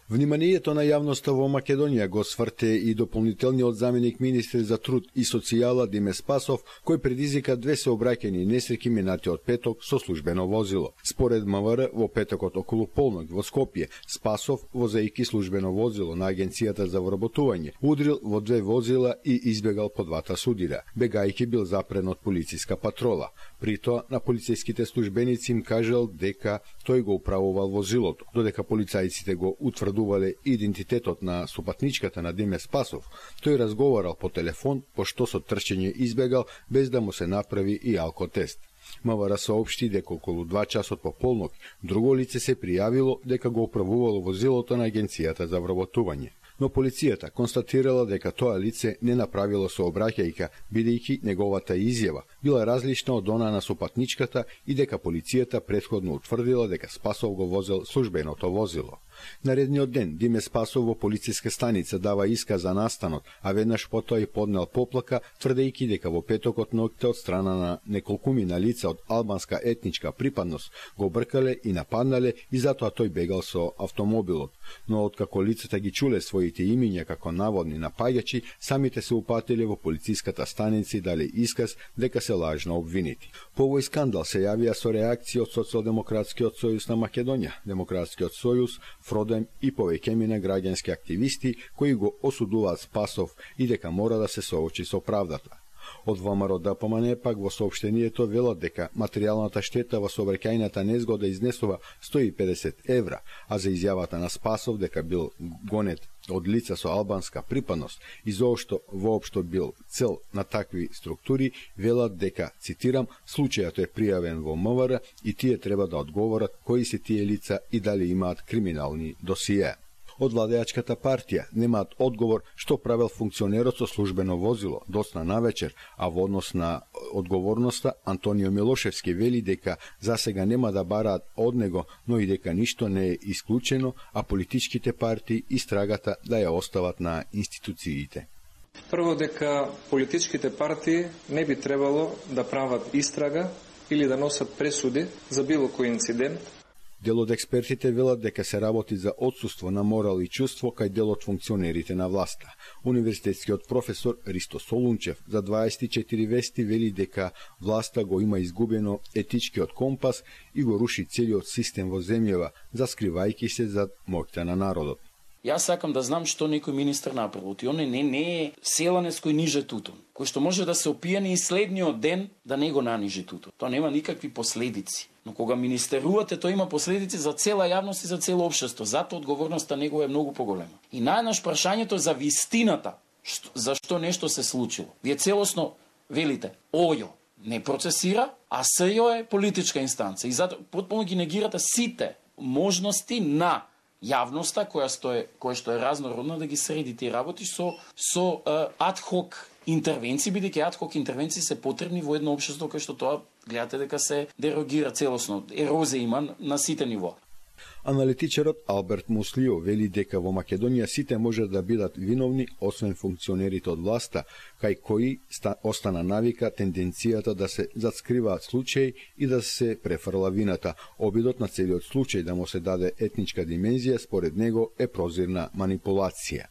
Вниманието на јавноста во Македонија го сврте и дополнителниот заменик министер за труд и социјала Диме Спасов, кој предизвика 2 сообраќајни несреќи минатиот петок со службено возило. Според МВР, во петокот околу полнок во Скопје, Спасов, возејќи службено возило на Агенцијата за вработување, удрил во 2 возила и избегал по 2 судира, бегајќи бил запрен од полициска патрола. При тоа, на полициските службеници им кажал дека тој го управувал возилото, додека полицајците го утврдувале идентитетот на сопатничката на Диме Спасов. Тој разговарал по телефон, пошто со трчење избегал без да му се направи и алкотест. МВР соопшти дека околу 2 часот по полнок друго лице се пријавило дека го управувало возилото на Агенцијата за вработување. Но полицијата констатирала дека тоа лице не направило сообраќајка, бидејќи неговата изјава била различна од она на сопатничката и дека полицијата претходно утврдила дека Спасов го возел службеното возило. Наредниот ден Диме Спасов во полициска станица дава исказ за настанот, а веднаш потоа и поднел поплака, тврдејќи дека во петокот ноќте од страна на неколкумина лица од албанска етничка припадност го бркале и нападнале и затоа тој бегал со автомобилот. Но откако лицата ги чуле своите имиња како наводни напаѓачи, самите се упатиле во полициската станица и дале исказ дека се лажно обвинети. По овој скандал се јавија со реакција од Социјалдемократскиот сојуз на Македонија, Демократскиот сојуз, Фродем и повеќемина граѓански активисти кои го осудуваат Спасов и дека мора да се соочи со правдата. Од ВМРО ДПМН пак во соопштението велат дека материјалната штета во сообраќајната незгода изнесува 150 евра, а за изјавата на Спасов дека бил гонет од лица со албанска припадност и заошто воопшто бил цел на такви структури, велат дека, цитирам, случајот е пријавен во МВР и тие треба да одговорат кои се тие лица и дали имаат криминални досиеа. Од владеачката партија немаат одговор што правел функционерот со службено возило доцна навечер, а во однос на одговорноста Антонио Милошевски вели дека засега нема да бараат од него, но и дека ништо не е исклучено, а политичките партии истрагата да ја остават на институциите. Прво дека политичките партии не би требало да прават истрага или да носат пресуди за било кој инцидент. Дел од експертите велат дека се работи за отсуство на морал и чувство кај дел од функционерите на власта. Универзитетскиот професор Ристо Солунчев за 24 вести вели дека власта го има изгубено етичкиот компас и го руши целиот систем во земјава, заскривајќи се зад моќта на народот. Јас сакам да знам што некој министер направил. Он не е селанец кој ниже тутун, кој што може да се опијани и следниот ден да не го нанижи тутун. Тоа нема никакви последици. Но кога министерувате, тоа има последици за цела јавност и за цело општество. Затоа одговорноста негова е многу поголема. И најнаш прашањето за вистината, зашто нешто се случило. Вие целосно велите, ОЈО не процесира, а СЈО е политичка инстанца. И затоа потполно ги негирате сите можности на јавноста која што е разнородна да ги среди тие работи со адхок интервенции, бидејќи адхок интервенции се потребни во едно општество кај што тоа гледате дека се дерогира целосно, ерозија има на сите нивоа. Аналитичарот Алберт Муслио вели дека во Македонија сите може да бидат виновни, освен функционерите од власта, кај кои остана навика тенденцијата да се заскриваат случаи и да се префрла вината. Обидот на целиот случај да му се даде етничка димензија, според него е прозирна манипулација.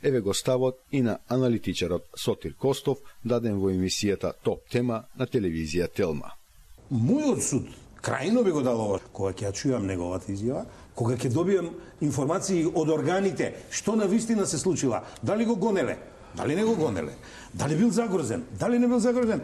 Еве го ставот и на аналитичарот Сотир Костов, даден во емисијата Топ тема на телевизија Телма. Мојот суд крајно би го дал ова. Кога ќе ја чујам неговата изјава, кога ќе добијам информации од органите, што на вистина се случила, дали го гонеле, дали не го гонеле, дали бил загрозен, дали не бил загрозен,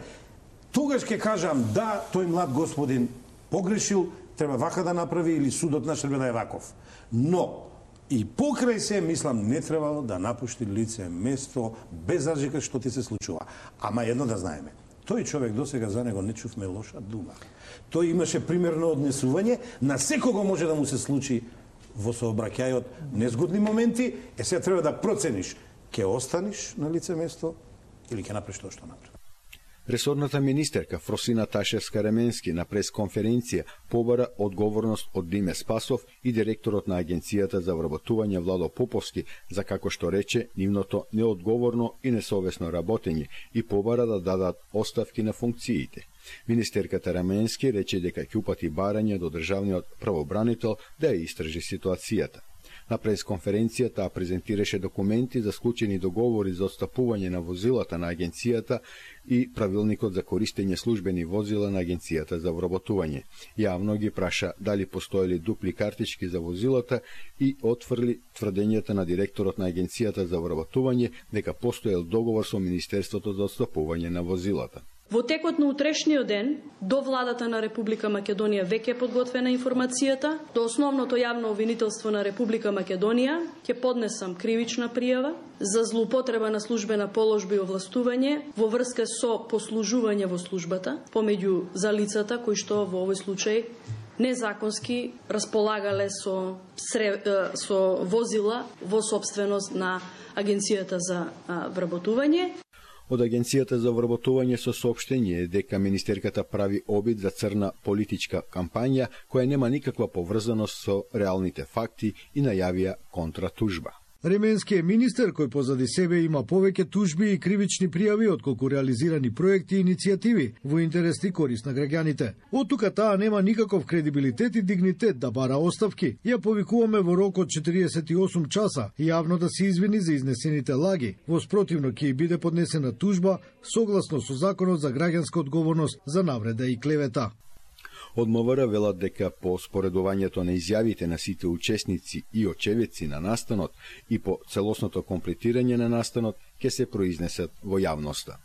тогаш ќе кажам да, тој млад господин погрешил, треба вака да направи или судот наш треба да е ваков. Но и покрај се, мислам, не требало да напушти лице место без разлика што ти се случува. Ама едно да знаеме, тој човек досега за него не чувме лоша дума. Тој имаше примерно однесување, на секого може да му се случи во сообраќајот незгодни моменти, сега треба да процениш, ќе останиш на лице место или ќе направиш тоа што направи. Ресорната министерка Фросина Ташевска-Раменски на пресконференција побара одговорност од Диме Спасов и директорот на Агенцијата за вработување Владо Поповски за, како што рече, нивното неодговорно и несовесно работење и побара да дадат оставки на функциите. Министерката Раменски рече дека ќе упати барање до државниот правобранител да ја истражи ситуацијата. На пресконференцијата презентираше документи за склучени договори за отстапување на возилата на агенцијата и правилникот за користење службени возила на агенцијата за вработување. Јавно ги праша дали постоели дупли картички за возилата и отфрли тврдењата на директорот на агенцијата за вработување дека постоел договор со Министерството за отстапување на возилата. Во текот на утрешниот ден, до владата на Република Македонија веќе е подготвена информацијата, до основното јавно обвинителство на Република Македонија ќе поднесам кривична пријава за злоупотреба на службена положба и овластување во врска со послужување во службата помеѓу за лицата кои што во овој случај незаконски располагале со возила во сопственост на Агенцијата за вработување. Од Агенцијата за вработување со соопштение дека министерката прави обид за црна политичка кампања која нема никаква поврзаност со реалните факти и најавија контратужба. Ременски е министер кој позади себе има повеќе тужби и кривични пријави отколку реализирани проекти и иницијативи во интерес и корист на граѓаните. Од тука таа нема никаков кредибилитет и дигнитет да бара оставки. Ја повикуваме во рок од 48 часа јавно да се извини за изнесените лаги. Во спротивно ќе биде поднесена тужба согласно со Законот за граѓанска одговорност за навреда и клевета. Од МВР велат дека по споредувањето на изјавите на сите учесници и очевидци на настанот и по целосното комплетирање на настанот ќе се произнесат во јавноста.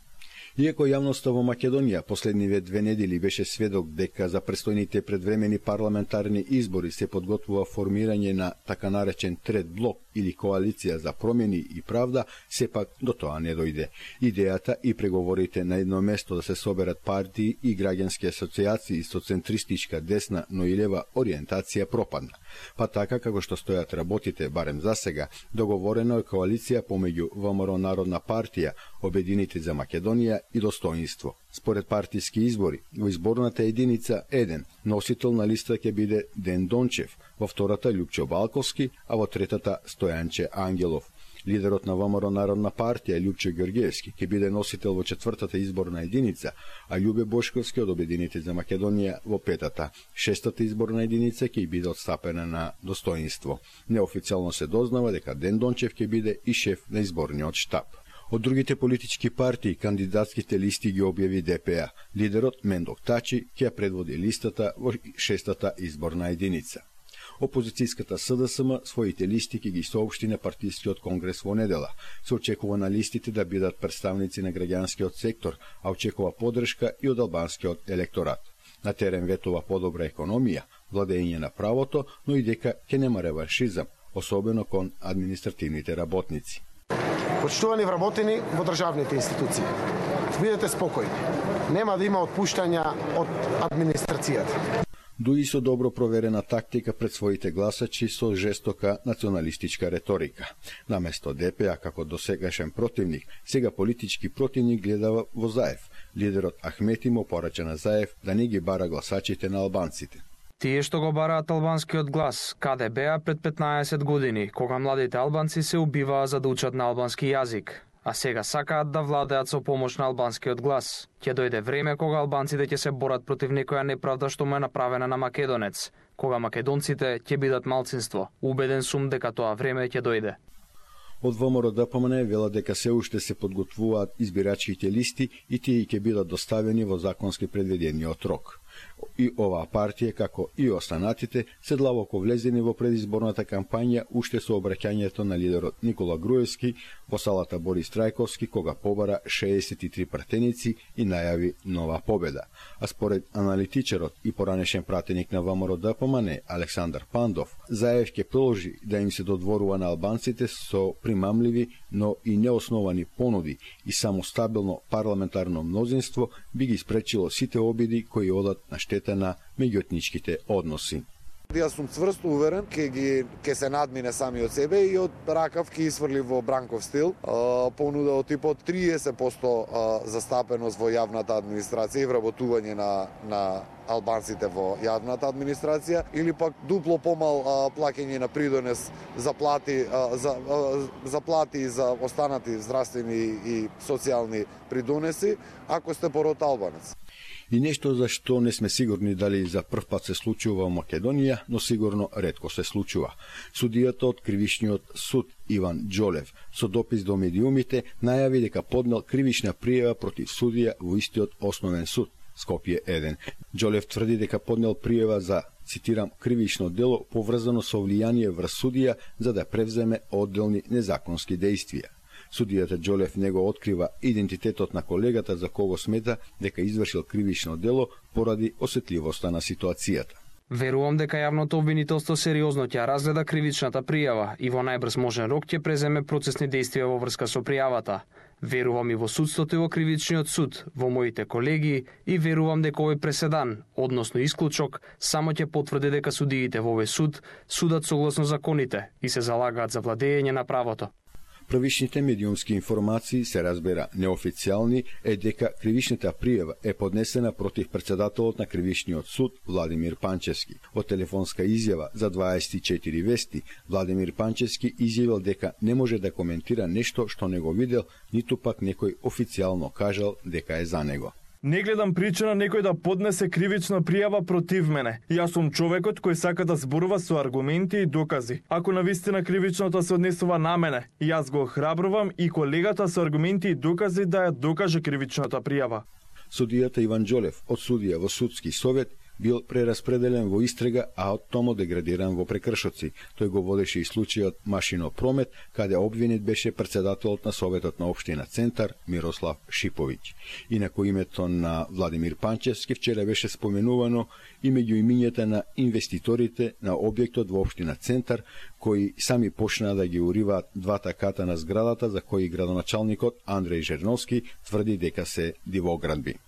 Иако јавноста во Македонија последниве 2 недели беше сведок дека за престојните предвремени парламентарни избори се подготвува формирање на така наречен трет блок или коалиција за промени и правда, сепак до тоа не дојде. Идејата и преговорите на едно место да се соберат партии и граѓански асоциации со центристичка десна, но и лева ориентација пропадна. Па така како што стојат работите, барем за сега, договорено е коалиција помеѓу ВМРО Народна партија, Обединети за Македонија и Достоинство. Според партиски избори, во изборната единица 1, носител на листа ќе биде Ден Дончев, во втората Љупчо Балковски, а во третата Стојанче Ангелов. Лидерот на ВМРО Народна партија Љупчо Ѓорѓевски ќе биде носител во четвртата изборна единица, а Љубе Бошковски од Обединети за Македонија во петата. Шестата изборна единица ќе биде отстапена на Достоинство. Неофицијално се дознава дека Ден Дончев ќе биде и шеф на изборниот штаб. Од другите политички партии кандидатските листи ги објави ДПА. Лидерот Мендок Тачи ќе предводи листата во шестата изборна единица. Опозицијската СДСМ своите листи ќе ги соопшти на партискиот конгрес во недела. Се очекува на листите да бидат представници на граѓанскиот сектор, а очекува поддршка и од албанскиот електорат. На терен ветува подобра економија, владење на правото, но и дека ќе нема реваншизам, особено кон административните работници. Почитувани вработени во државните институции. Бидете спокојни. Нема да има отпуштања од администрацијата. Дуи со добро проверена тактика пред своите гласачи со жестока националистичка реторика. Наместо ДПА како досегашен противник, сега политички противник гледа во Заев. Лидерот Ахмети му порача на Заев да не ги бара гласачите на албанците. Тие што го бараат албанскиот глас, каде беа пред 15 години, кога младите албанци се убиваа за да учат на албански јазик, а сега сакаат да владеат со помош на албанскиот глас. Ќе дојде време кога албанците ќе се борат против некоја неправда што му е направена на македонец, кога македонците ќе бидат малцинство. Убеден сум дека тоа време ќе дојде. Од ВМРО ДПМН вела дека се уште се подготвуваат избирачките листи и тие ќе бидат доставени во законски предвидениот рок. И оваа партија, како и останатите, се длабоко влезени во предизборната кампања уште со обраќањето на лидерот Никола Груевски во салата Борис Трајковски, кога побара 63 пратеници и најави нова победа. А според аналитичарот и поранешен пратеник на ВМРО ДПМН Александар Пандов, Заев ќе продолжи да им се додворува на албанците со примамливи, но и неосновани понуди и само стабилно парламентарно мнозинство би ги спречило сите обиди кои одат на штета на меѓуетничките односи. Јас сум цврсто уверен ќе се надмине сами од себе и од ракав ќе исфрли во Бранков стил понуда од типот 30% застапеност во јавната администрација и вработување на албанците во јавната администрација или пак дупло помал плаќање на придонес за плати и за останати здравствени и социјални придонеси ако сте пород албанец. И нешто за што не сме сигурни дали за прв пат се случува во Македонија, но сигурно ретко се случува. Судијата од Кривичниот суд Иван Џолев со допис до медиумите најави дека поднел кривична пријава против судија во истиот основен суд, Скопје 1. Џолев тврди дека поднел пријава за, цитирам, кривично дело поврзано со влијание врз судија за да превземе одделни незаконски дејствија. Судијата Џолев него открива идентитетот на колегата за кого смета дека извршил кривично дело поради осетливоста на ситуацијата. Верувам дека јавното обвинителство сериозно ќе разгледа кривичната пријава и во најбрз можен рок ќе преземе процесни дејствија во врска со пријавата. Верувам и во судството и во кривичниот суд, во моите колеги и верувам дека овој преседан, односно исклучок, само ќе потврди дека судиите во овој суд судат согласно законите и се залагаат за владење на правото. Првичните медиумски информации се разбера неофицијални е дека кривичната пријава е поднесена против председателот на Кривичниот суд Владимир Панчевски. Во телефонска изјава за 24 вести, Владимир Панчевски изјавил дека не може да коментира нешто што не го видел, ниту пак некој официјално кажал дека е за него. Не гледам причина некој да поднесе кривична пријава против мене. Јас сум човекот кој сака да зборува со аргументи и докази. Ако навистина кривичното се однесува на мене, јас го охрабрувам и колегата со аргументи и докази да ја докаже кривичната пријава. Судијата Иван Џолев од судија во судски совет бил прераспределен во истрага, а од томо деградиран во прекршоци. Тој го водеше и случајот Машино Промет, каде обвинет беше председателот на Советот на општина Центар Мирослав Шиповиќ. Инаку името на Владимир Панчевски вчера беше споменувано и меѓу имињата на инвеститорите на објектот во општина Центар, кои сами почнаа да ги уриваат двата ката на зградата за кои градоначалникот Андреј Жерновски тврди дека се дивоградби.